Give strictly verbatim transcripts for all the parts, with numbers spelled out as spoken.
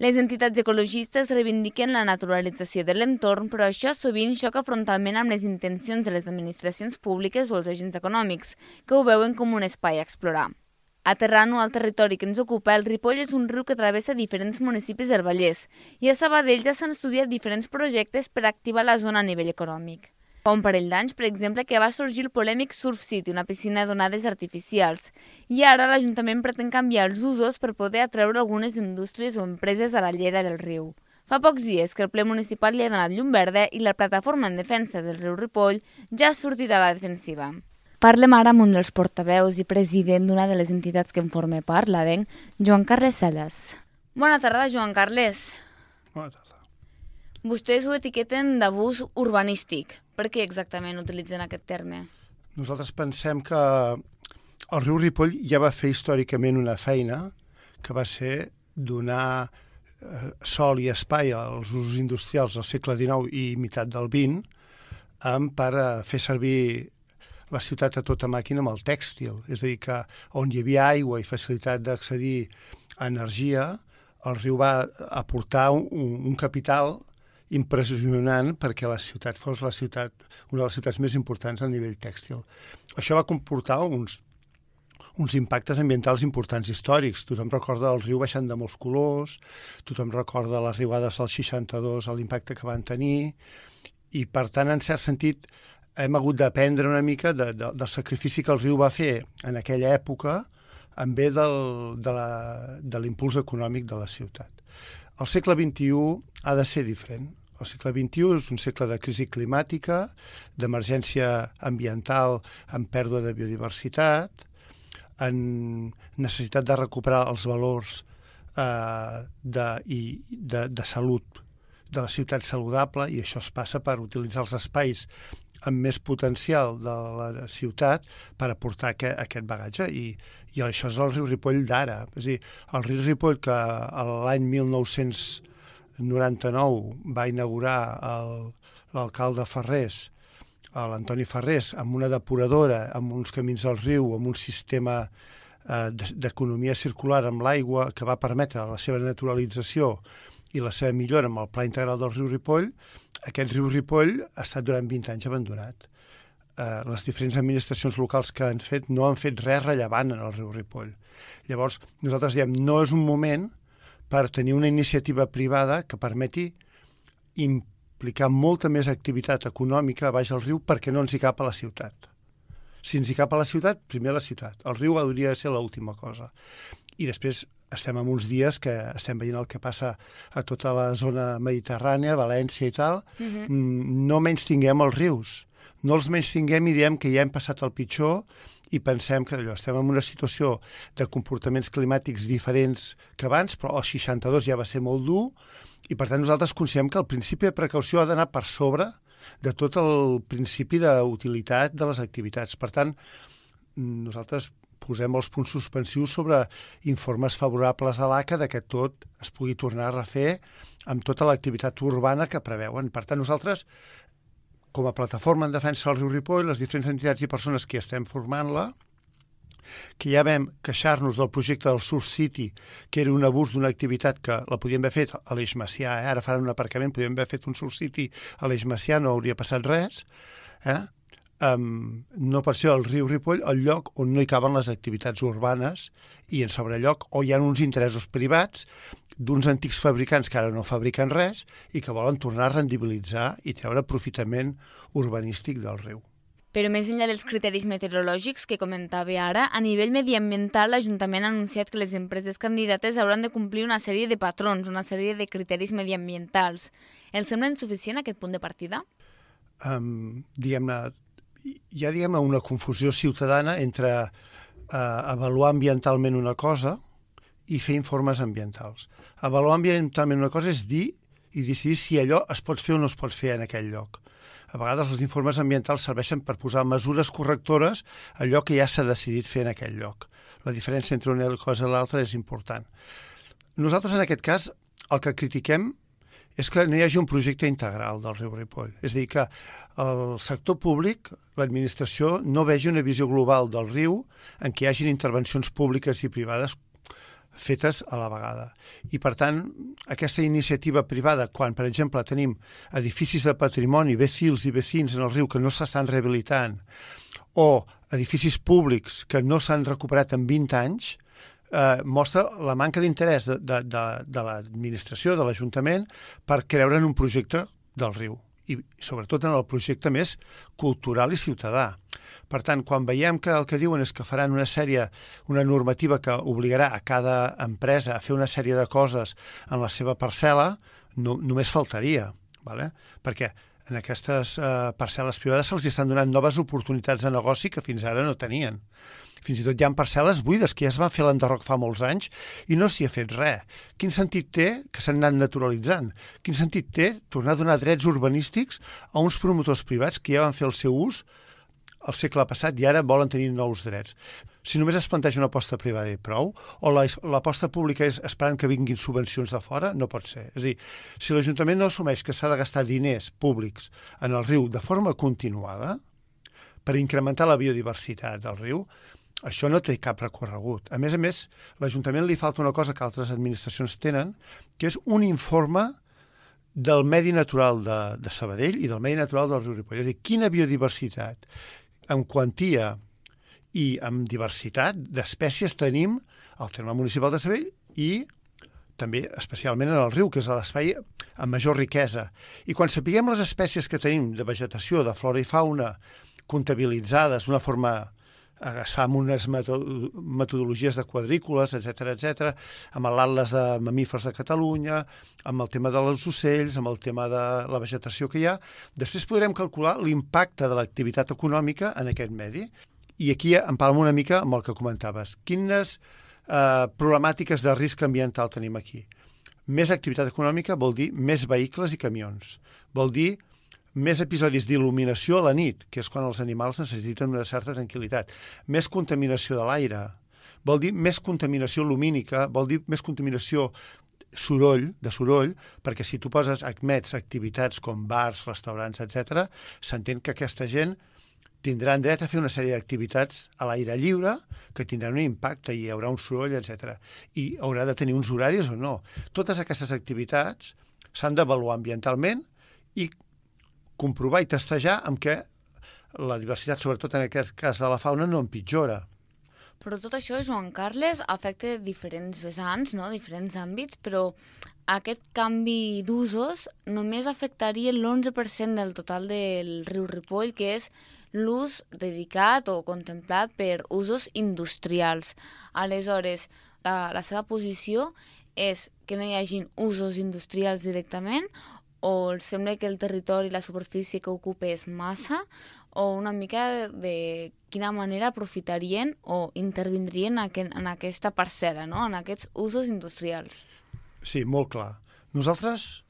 Les entitats ecologistes reivindiquen la naturalització de l'entorn, però això sovint xoca frontalment amb les intencions de les administracions públiques o els agents econòmics, que ho veuen com un espai a explorar. Aterrant-ho al territori que ens ocupa, el Ripoll és un riu que travessa diferents municipis del Vallès i a Sabadell ja s'han estudiat diferents projectes per activar la zona a nivell econòmic. Fa un parell d'anys, per exemple, que va sorgir el polèmic Surf City, una piscina d'onades artificials, i ara l'Ajuntament pretén canviar els usos per poder atreure algunes indústries o empreses a la llera del riu. Fa pocs dies que el ple municipal li ha donat llum verda i la plataforma en defensa del riu Ripoll ja ha sortit a la defensiva. Parlem ara amb un dels portaveus i president d'una de les entitats que en forma part, l'ADENC, Joan Carles Salas. Bona tarda, Joan Carles. Bona tarda. Vostès ho etiqueten d'abús urbanístic. Per què exactament utilitzen aquest terme? Nosaltres pensem que el riu Ripoll ja va fer històricament una feina que va ser donar eh, sol i espai als usos industrials del segle dinou i meitat del vint um, per a fer servir la ciutat a tota màquina amb el tèxtil. És a dir, que on hi havia aigua i facilitat d'accedir a energia, el riu va aportar un, un capital impressionant perquè la ciutat fos la ciutat, una de les ciutats més importants a nivell tèxtil. Això va comportar uns, uns impactes ambientals importants històrics. Tothom recorda el riu baixant de molts colors, tothom recorda les riuades del seixanta-dos, l'impacte que van tenir, i per tant, en cert sentit, hem hagut d'aprendre una mica de, de, del sacrifici que el riu va fer en aquella època en bé del, de, la, de l'impuls econòmic de la ciutat. El segle vint-i-u ha de ser diferent. El segle vint-i-u és un segle de crisi climàtica, d'emergència ambiental amb pèrdua de biodiversitat, en necessitat de recuperar els valors eh, de, i, de, de salut de la ciutat saludable, i això es passa per utilitzar els espais amb més potencial de la ciutat per aportar aquest, aquest bagatge. I, I això és el riu Ripoll d'ara. És a dir, el riu Ripoll que l'any mil nou-cents noranta-nou va inaugurar l'alcalde Ferrés, l'Antoni Ferrés, amb una depuradora, amb uns camins al riu, amb un sistema eh, d'economia circular amb l'aigua que va permetre la seva naturalització i la seva millora amb el pla integral del riu Ripoll. Aquest riu Ripoll ha estat durant vint anys abandonat. Eh, les diferents administracions locals que han fet no han fet res rellevant en el riu Ripoll. Llavors, nosaltres diem, no és un moment per tenir una iniciativa privada que permeti implicar molta més activitat econòmica a baix del riu perquè no ens hi cap a la ciutat. Si ens hi cap a la ciutat, primer la ciutat. El riu hauria de ser l'última cosa. I després estem en uns dies que estem veient el que passa a tota la zona mediterrània, València i tal. Uh-huh. No menys tinguem els rius. No els menys tinguem i diem que ja hem passat el pitjor i pensem que allò, estem en una situació de comportaments climàtics diferents que abans, però el seixanta-dos ja va ser molt dur i per tant nosaltres considerem que el principi de precaució ha d'anar per sobre de tot el principi d'utilitat de les activitats. Per tant, nosaltres posem els punts suspensius sobre informes favorables a l'A C A de que tot es pugui tornar a refer amb tota l'activitat urbana que preveuen. Per tant, nosaltres, com a plataforma en defensa del riu Ripoll, les diferents entitats i persones que estem formant-la, que ja vam queixar-nos del projecte del Surf City, que era un abús d'una activitat que la podíem haver fet a l'Eix Macià, eh? Ara faran un aparcament, podíem haver fet un Surf City a l'Eix Macià, no hauria passat res, eh? Um, no pot ser el riu Ripoll el lloc on no hi caben les activitats urbanes i en sobrelloc o hi ha uns interessos privats d'uns antics fabricants que ara no fabriquen res i que volen tornar a rendibilitzar i treure aprofitament urbanístic del riu. Però més enllà dels criteris meteorològics que comentava ara, a nivell mediambiental l'Ajuntament ha anunciat que les empreses candidates hauran de complir una sèrie de patrons, una sèrie de criteris mediambientals. Els sembla insuficient aquest punt de partida? Um, diguem-ne, hi ha diguem, una confusió ciutadana entre eh, avaluar ambientalment una cosa i fer informes ambientals. Avaluar ambientalment una cosa és dir i decidir si allò es pot fer o no es pot fer en aquell lloc. A vegades els informes ambientals serveixen per posar mesures correctores a allò que ja s'ha decidit fer en aquell lloc. La diferència entre una cosa i l'altra és important. Nosaltres, en aquest cas, el que critiquem és que no hi hagi un projecte integral del riu Ripoll. És a dir, que el sector públic, l'administració, no vegi una visió global del riu en què hi hagin intervencions públiques i privades fetes a la vegada. I, per tant, aquesta iniciativa privada, quan, per exemple, tenim edificis de patrimoni, vecils i vecins en el riu que no s'estan rehabilitant, o edificis públics que no s'han recuperat en vint anys, eh, mostra la manca d'interès de, de, de, de l'administració, de l'Ajuntament, per creure en un projecte del riu, i sobretot en el projecte més cultural i ciutadà. Per tant, quan veiem que el que diuen és que faran una sèrie, una normativa que obligarà a cada empresa a fer una sèrie de coses en la seva parcel·la, no, només faltaria, ¿vale? Perquè en aquestes eh, parcel·les privades se'ls estan donant noves oportunitats de negoci que fins ara no tenien. Fins i tot hi ha parcel·les buides que ja es van fer a l'enderroc fa molts anys i no s'hi ha fet res. Quin sentit té que s'han anat naturalitzant? Quin sentit té tornar a donar drets urbanístics a uns promotors privats que ja van fer el seu ús al segle passat i ara volen tenir nous drets? Si només es planteja una aposta privada i prou, o l'aposta pública és esperant que vinguin subvencions de fora, no pot ser. És a dir, si l'Ajuntament no assumeix que s'ha de gastar diners públics en el riu de forma continuada per incrementar la biodiversitat del riu, això no té cap recorregut. A més a més, l'Ajuntament li falta una cosa que altres administracions tenen, que és un informe del medi natural de, de Sabadell i del medi natural del riu Ripoll. És a dir, quina biodiversitat en quantia i amb diversitat d'espècies tenim al terme municipal de Sabadell i també especialment en el riu, que és l'espai amb major riquesa. I quan sapiguem les espècies que tenim de vegetació, de flora i fauna, comptabilitzades d'una forma, es fa amb unes metodologies de quadrícules, etcètera, etcètera, amb l'Atles de Mamífers de Catalunya, amb el tema dels ocells, amb el tema de la vegetació que hi ha, després podrem calcular l'impacte de l'activitat econòmica en aquest medi. I aquí empalmo una mica amb el que comentaves. Quines eh, problemàtiques de risc ambiental tenim aquí? Més activitat econòmica vol dir més vehicles i camions. Vol dir més episodis d'il·luminació a la nit, que és quan els animals necessiten una certa tranquil·litat. Més contaminació de l'aire. Vol dir més contaminació lumínica, vol dir més contaminació soroll, de soroll, perquè si tu poses, admets activitats com bars, restaurants, etcètera, s'entén que aquesta gent tindran dret a fer una sèrie d'activitats a l'aire lliure que tindran un impacte i hi haurà un soroll, etcètera. I haurà de tenir uns horaris o no. Totes aquestes activitats s'han d'avaluar ambientalment i comprovar i testejar amb què la diversitat, sobretot en aquest cas de la fauna, no empitjora. Però tot això, Joan Carles, afecta diferents vessants, no? Diferents àmbits, però aquest canvi d'usos només afectaria l'onze per cent del total del riu Ripoll, que és l'ús dedicat o contemplat per usos industrials. Aleshores, la, la seva posició és que no hi hagin usos industrials directament, o els sembla que el territori i la superfície que ocupa és massa, o una mica de quina manera aprofitarien o intervindrien en aquesta parcel·la, no? En aquests usos industrials. Sí, molt clar. Nosaltres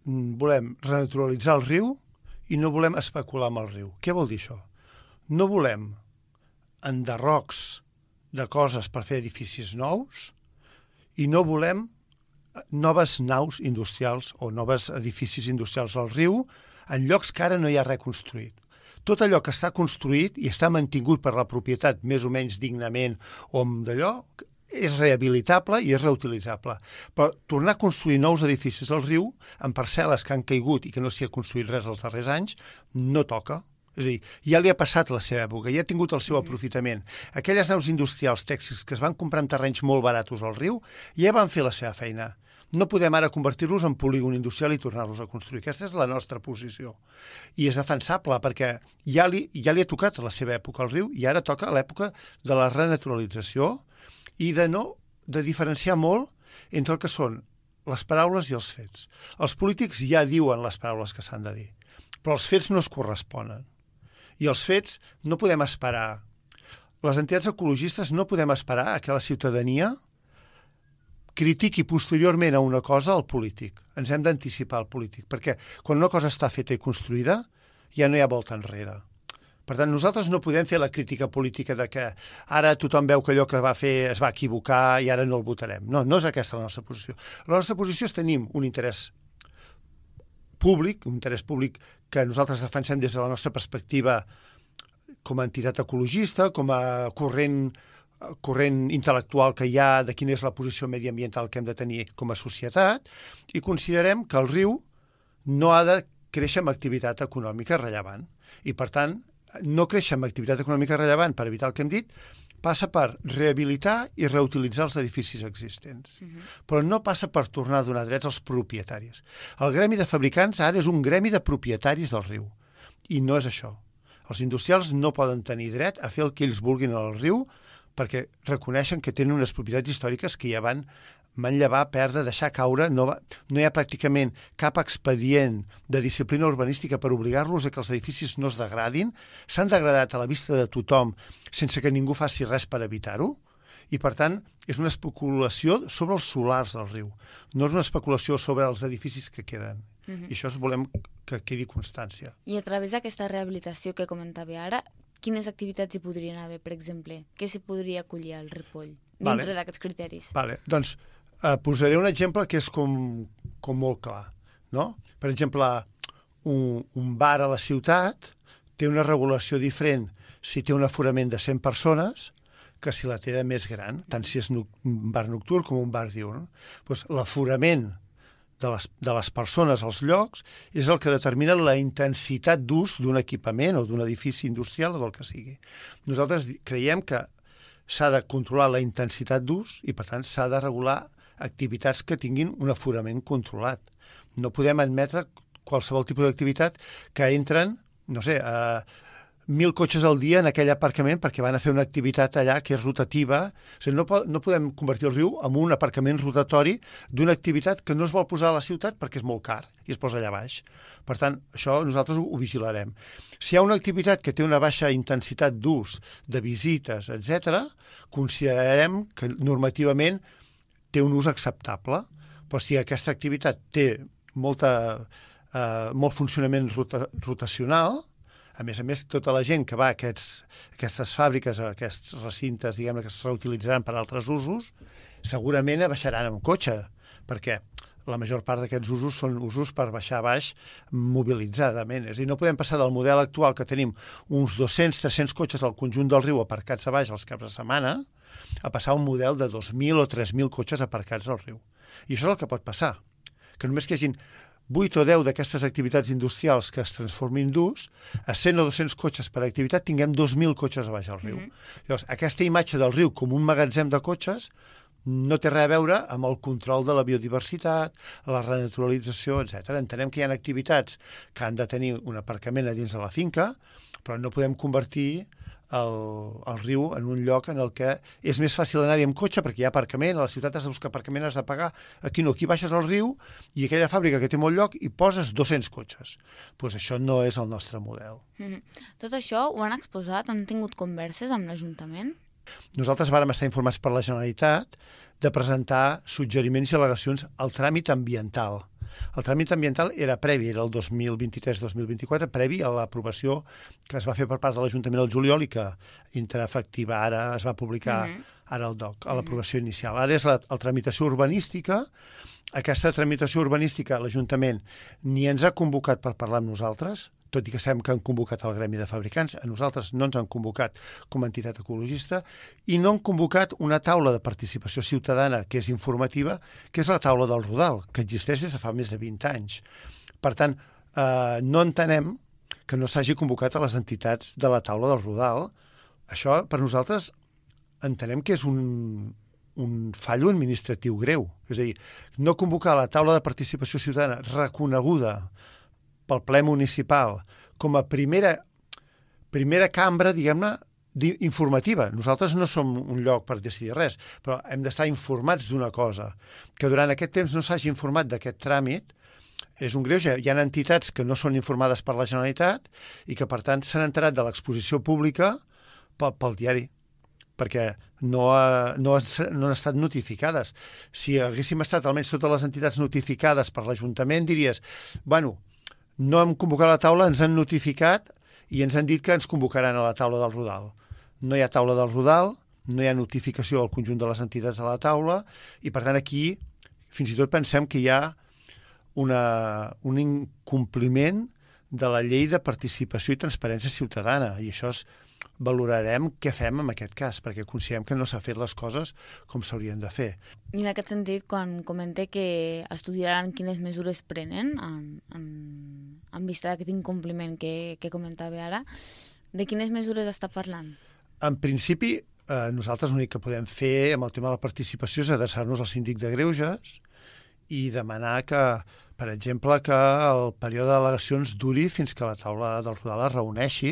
volem renaturalitzar el riu i no volem especular amb el riu. Què vol dir això? No volem enderrocs de coses per fer edificis nous i no volem noves naus industrials o noves edificis industrials al riu en llocs que ara no hi ha res construït. Tot allò que està construït i està mantingut per la propietat més o menys dignament o amb d'allò és rehabilitable i és reutilitzable. Però tornar a construir nous edificis al riu en parcel·les que han caigut i que no s'hi ha construït res els darrers anys no toca. És a dir, ja li ha passat la seva època, ja ha tingut el seu aprofitament. Aquelles naus industrials tèxtils que es van comprar en terrenys molt baratos al riu ja van fer la seva feina. No podem ara convertir-los en polígon industrial i tornar-los a construir. Aquesta és la nostra posició. I és defensable perquè ja li, ja li ha tocat la seva època al riu i ara toca l'època de la renaturalització i de no de diferenciar molt entre el que són les paraules i els fets. Els polítics ja diuen les paraules que s'han de dir, però els fets no es corresponen. I els fets no podem esperar. Les entitats ecologistes no podem esperar a que la ciutadania critiqui posteriorment a una cosa al polític. Ens hem d'anticipar al polític, perquè quan una cosa està feta i construïda ja no hi ha volta enrere. Per tant, nosaltres no podem fer la crítica política de que ara tothom veu que allò que va fer es va equivocar i ara no el votarem. No, no és aquesta la nostra posició. La nostra posició és tenim un interès públic, un interès públic que nosaltres defensem des de la nostra perspectiva com a entitat ecologista, com a corrent corrent intel·lectual que hi ha, de quina és la posició mediambiental que hem de tenir com a societat, i considerem que el riu no ha de créixer amb activitat econòmica rellevant. I, per tant, no créixer amb activitat econòmica rellevant, per evitar el que hem dit, passa per rehabilitar i reutilitzar els edificis existents. Uh-huh. Però no passa per tornar a donar drets als propietaris. El gremi de fabricants ara és un gremi de propietaris del riu. I no és això. Els industrials no poden tenir dret a fer el que ells vulguin al riu perquè reconeixen que tenen unes propietats històriques que ja van manllevar, perdre, deixar caure. No, va, no hi ha pràcticament cap expedient de disciplina urbanística per obligar-los a que els edificis no es degradin. S'han degradat a la vista de tothom sense que ningú faci res per evitar-ho. I, per tant, és una especulació sobre els solars del riu. No és una especulació sobre els edificis que queden. Uh-huh. I això volem que quedi constància. I a través d'aquesta rehabilitació que comentava ara, quines activitats hi podrien haver, per exemple? Què s'hi podria acollir al Ripoll, dintre vale. d'aquests criteris? Vale. Doncs eh, posaré un exemple que és com, com molt clar. No? Per exemple, un, un bar a la ciutat té una regulació diferent si té un aforament de cent persones que si la té de més gran, tant si és un bar nocturn com un bar diurn. Doncs l'aforament de les, de les persones als llocs és el que determina la intensitat d'ús d'un equipament o d'un edifici industrial o del que sigui. Nosaltres creiem que s'ha de controlar la intensitat d'ús i, per tant, s'ha de regular activitats que tinguin un aforament controlat. No podem admetre qualsevol tipus d'activitat que entren, no sé, a mil cotxes al dia en aquell aparcament perquè van a fer una activitat allà que és rotativa. O sigui, no, po no podem convertir el riu en un aparcament rotatori d'una activitat que no es vol posar a la ciutat perquè és molt car i es posa allà baix. Per tant, això nosaltres ho, ho vigilarem. Si hi ha una activitat que té una baixa intensitat d'ús, de visites, etcètera, considerarem que normativament té un ús acceptable. Però si aquesta activitat té molta, eh, molt funcionament rota rotacional, a més a més, tota la gent que va a aquests, aquestes fàbriques, a aquests recintes, diguem-ne, que es reutilitzaran per a altres usos, segurament baixaran amb cotxe, perquè la major part d'aquests usos són usos per baixar a baix mobilitzadament. És a dir, no podem passar del model actual que tenim uns dos-cents tres-cents cotxes al conjunt del riu aparcats a baix els caps de setmana a passar a un model de dos mil o tres mil cotxes aparcats al riu. I això és el que pot passar, que només que hi hagin vuit o deu d'aquestes activitats industrials que es transformin d'ús, a cent o dos-cents cotxes per activitat tinguem dos mil cotxes a baix al riu. Mm-hmm. Llavors, aquesta imatge del riu com un magatzem de cotxes no té res a veure amb el control de la biodiversitat, la renaturalització, etcètera. Entenem que hi ha activitats que han de tenir un aparcament a dins de la finca, però no podem convertir el, el riu en un lloc en el que és més fàcil anar-hi amb cotxe perquè hi ha aparcament, a la ciutat has de buscar aparcament, has de pagar. Aquí no, aquí baixes al riu i aquella fàbrica que té molt lloc i poses dos-cents cotxes. Doncs pues això no és el nostre model. Mm-hmm. Tot això ho han exposat? Han tingut converses amb l'Ajuntament? Nosaltres vàrem estar informats per la Generalitat de presentar suggeriments i al·legacions al tràmit ambiental. El tràmit ambiental era previ, era el dos mil vint-i-tres dos mil vint-i-quatre, previ a l'aprovació que es va fer per part de l'Ajuntament al juliol i que entra efectiva ara, es va publicar uh-huh. ara al D O C, a l'aprovació inicial. Ara és la, la tramitació urbanística. Aquesta tramitació urbanística l'Ajuntament ni ens ha convocat per parlar amb nosaltres, tot i que sabem que han convocat el gremi de fabricants, a nosaltres no ens han convocat com a entitat ecologista, i no han convocat una taula de participació ciutadana que és informativa, que és la taula del Rodal, que existeix des de fa més de vint anys. Per tant, eh, no entenem que no s'hagi convocat a les entitats de la taula del Rodal. Això, per nosaltres, entenem que és un, un fallo administratiu greu. És a dir, no convocar la taula de participació ciutadana reconeguda pel ple municipal com a primera, primera cambra, diguem-ne, informativa. Nosaltres no som un lloc per decidir res, però hem d'estar informats d'una cosa. Que durant aquest temps no s'hagi informat d'aquest tràmit és un greuge. Hi ha entitats que no són informades per la Generalitat i que, per tant, s'han enterat de l'exposició pública pel, pel diari, perquè no, ha, no, ha, no han estat notificades. Si haguéssim estat almenys totes les entitats notificades per l'Ajuntament, diries, bueno, no hem convocat la taula, ens han notificat i ens han dit que ens convocaran a la taula del Rodal. No hi ha taula del Rodal, no hi ha notificació al conjunt de les entitats de la taula i, per tant, aquí fins i tot pensem que hi ha una, un incompliment de la llei de participació i transparència ciutadana i això és valorarem què fem en aquest cas, perquè considerem que no s'ha fet les coses com s'haurien de fer. I en aquest sentit, quan comente que estudiaran quines mesures prenen en, en, en vista d'aquest incompliment que, que comentava ara, de quines mesures està parlant? En principi, eh, nosaltres l'únic que podem fer amb el tema de la participació és adreçar-nos al síndic de greuges i demanar que, per exemple, que el període d'al·legacions duri fins que la taula del Rodal es reuneixi,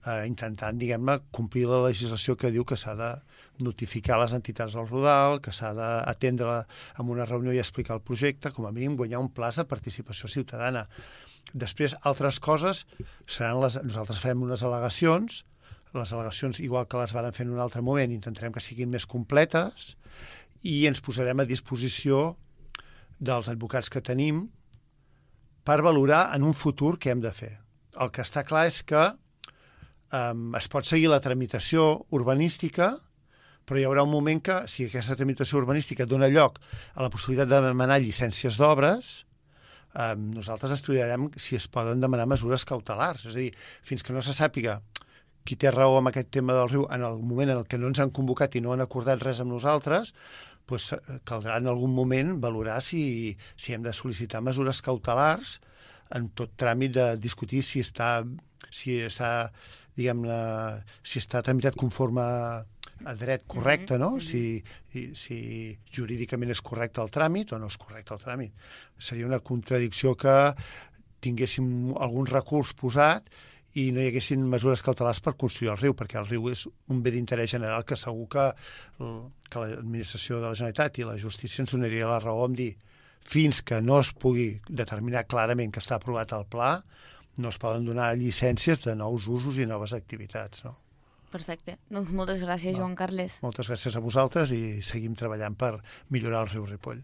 eh, intentant, diguem-ne, complir la legislació que diu que s'ha de notificar les entitats del Rodal, que s'ha d'atendre en una reunió i explicar el projecte, com a mínim guanyar un pla de participació ciutadana. Després, altres coses seran les... Nosaltres farem unes al·legacions, les al·legacions, igual que les varen fer en un altre moment, intentarem que siguin més completes i ens posarem a disposició dels advocats que tenim per valorar en un futur què hem de fer. El que està clar és que um, es pot seguir la tramitació urbanística, però hi haurà un moment que, si aquesta tramitació urbanística dona lloc a la possibilitat de demanar llicències d'obres, um, nosaltres estudiarem si es poden demanar mesures cautelars. És a dir, fins que no se sàpiga qui té raó amb aquest tema del riu en el moment en què no ens han convocat i no han acordat res amb nosaltres, doncs caldrà en algun moment valorar si, si hem de sol·licitar mesures cautelars en tot tràmit de discutir si està, si està, diguem-ne, si està tramitat conforme a dret correcte, no? Si, si jurídicament és correcte el tràmit o no és correcte el tràmit. Seria una contradicció que tinguéssim algun recurs posat i no hi haguessin mesures cautelars per construir el riu, perquè el riu és un bé d'interès general que segur que, que l'administració de la Generalitat i la justícia ens donaria la raó en dir fins que no es pugui determinar clarament que està aprovat el pla, no es poden donar llicències de nous usos i noves activitats, no? Perfecte. Doncs moltes gràcies, Joan Carles. Moltes gràcies a vosaltres i seguim treballant per millorar el riu Ripoll.